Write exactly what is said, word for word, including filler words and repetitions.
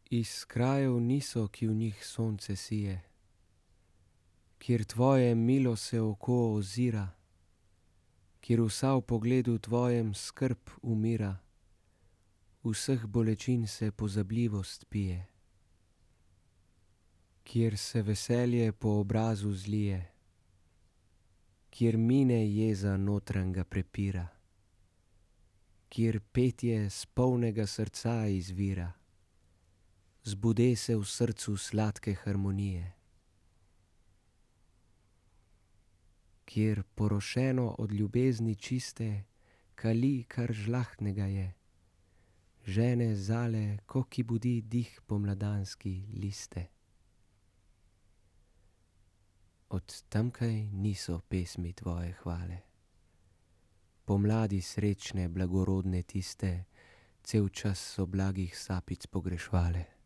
Iz krajev niso, ki v njih sonce sije, kjer tvoje milo se oko ozira, kjer vsa v pogledu tvojem skrb umira, vseh bolečin se pozabljivost pije, kjer se veselje po obrazu zlije, kjer mine jeza notranjega prepira, kjer petje s polnega srca izvira, zbude se v srcu sladke harmonije, kjer porošeno od ljubezni čiste kali, kar žlahtnega je, žene zale, ko ki budi dih pomladanski liste. Od tamkaj niso pesmi tvoje hvale, pomladi srečne, blagorodne tiste, cel čas so blagih sapic pogrešovale.